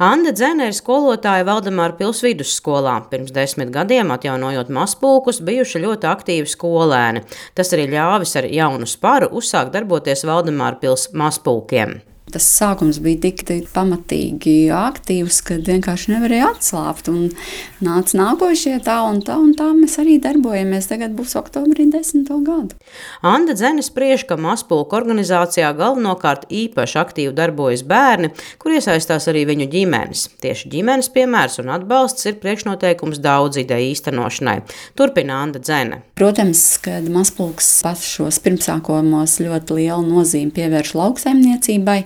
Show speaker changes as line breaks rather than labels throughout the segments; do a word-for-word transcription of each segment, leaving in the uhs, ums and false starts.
Anda Dzene ir skolotāja Valdemāra pils vidusskolā. Pirms desmit gadiem, atjaunojot mazpulkus, bijuši ļoti aktīvi skolēni. Tas arī ļāvis ar jaunu sparu uzsākt darboties Valdemāra pils mazpulkiem.
Tas sākums bija tik, tik pamatīgi aktīvs, ka vienkārši nevarēja atslābt. Un nāca nākošie tā un tā, un tā mēs arī darbojamies. Tagad būs oktobrī desmito gadu.
Anda Dzene spriež, ka mazpulku organizācijā galvenokārt īpaši aktīvi darbojas bērni, kur iesaistās arī viņu ģimenes. Tieši ģimenes piemērs un atbalsts ir priekšnoteikums daudz ideju īstenošanai. Turpina Anda Dzene.
Protams, kad mazpulks pašos pirmsākumos ļoti lielu nozīmi pievērš lauksaimniecībai,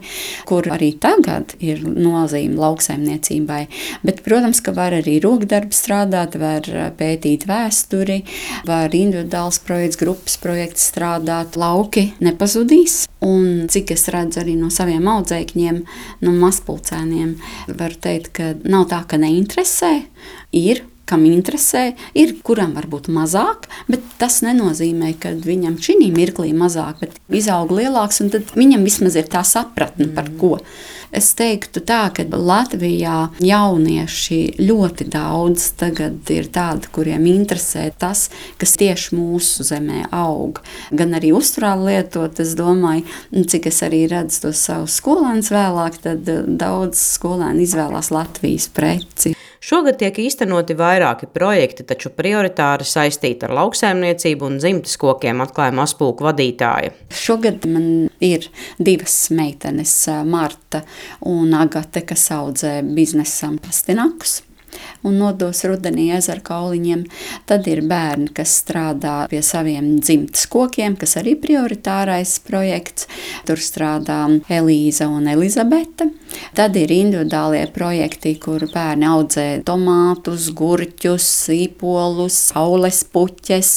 kur arī tagad ir nozīme lauksaimniecībai. Bet, protams, ka var arī rokdarbu strādāt, var pētīt vēsturi, var individuāls projekts, grupas projekts strādāt. Lauki nepazudīs. Un cik es redzu arī no saviem audzēkņiem, no mazpulcēniem, var teikt, ka nav tā, ka neinteresē, ir. Kam interesē, ir, kuram varbūt mazāk, bet tas nenozīmē, ka viņam šī mirklī mazāk, bet izaug lielāks, un tad viņam vismaz ir tā sapratne par ko. Es teiktu tā, ka Latvijā jaunieši ļoti daudz tagad ir tādi, kuriem interesē tas, kas tieši mūsu zemē aug. Gan arī uzturā lietot, es domāju, cik es arī redzu tos savus skolēnus vēlāk, tad daudz skolēni izvēlās Latvijas preci.
Šogad tiek īstenoti vairāki projekti, taču prioritāri saistīti ar lauksaimniecību un dzimtes kokiem, atklāja mazpulku vadītāja.
Šogad man ir divas meitenes, Marta un Agate, kas audzē biznesam pastinakus un nodos rudenī ezeru kauliņiem. Tad ir bērni, kas strādā pie saviem dzimtes kokiem, kas arī prioritārais projekts. Tur strādā Elīza un Elizabete. Tad ir individuālie projekti, kur bērni audzē tomātus, gurķus, sīpolus, saules puķes,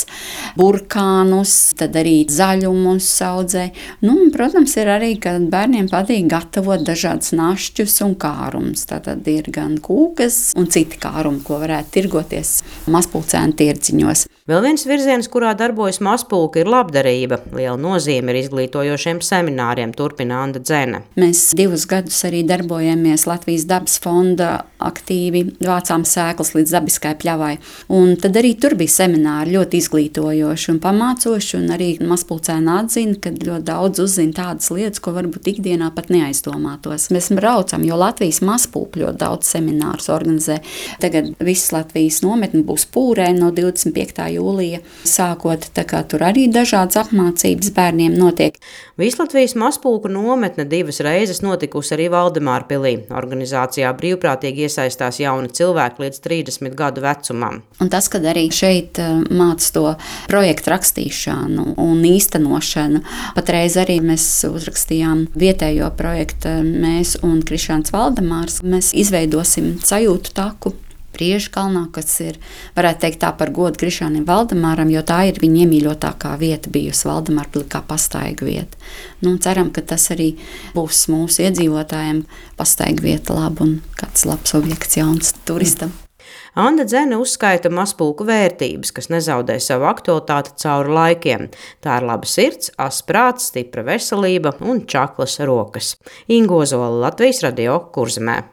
burkānus, tad arī zaļumus audzē. Nu, un, protams, ir arī, kad bērniem patīk gatavot dažādas našķus un kārums. Tātad ir gan kūkas un citi kārumi, ko varētu tirgoties mazpulcēnu tirdziņos.
Vēl viens virziens, kurā darbojas mazpulka, ir labdarība. Liela nozīme ir izglītojošiem semināriem, turpina Anda Dzene.
Mēs divus gadus arī darbojamies Latvijas dabas fonda aktīvi, vācām sēklas līdz dabiskai pļavai. Un tad arī tur bija semināri ļoti izglītojoši un pamācoši, un arī mazpulcēni atzina, ka ļoti daudz uzzina tādas lietas, ko varbūt ikdienā pat neaizdomātos. Mēs braucam, jo Latvijas mazpulka ļoti daudz seminārus organizē. Tagad viss Latvijas nometne būs Pūrē no divdesmit piektā jūlija sākot, tā kā tur arī dažādas apmācības bērniem notiek.
Vislatvijas mazpulku nometne divas reizes notikusi arī Valdemāra pilī. Organizācijā brīvprātīgi iesaistās jauni cilvēki līdz trīsdesmit gadu vecumam.
Un tas, kad arī šeit māca to projektu rakstīšanu un īstenošanu, patreiz arī mēs uzrakstījām vietējo projektu, mēs un Krišāns Valdemārs, mēs izveidosim sajūtu taku Priežkalnā, kas ir, varētu teikt tā par godu Krišānim Valdemāram, jo tā ir viņa iemīļotākā vieta bijusi Valdemāra pilī kā pastaigu vieta. Nu, ceram, ka tas arī būs mūsu iedzīvotājiem pastaigu vieta laba un kāds labs objekts jauns turistam.
Anda Dzene uzskaita mazpulku vērtības, kas nezaudē savu aktualitāti cauri laikiem. Tā ir laba sirds, asa prāts, stipra veselība un čaklas rokas. Inga Ozola, Latvijas radio, Kurzemē.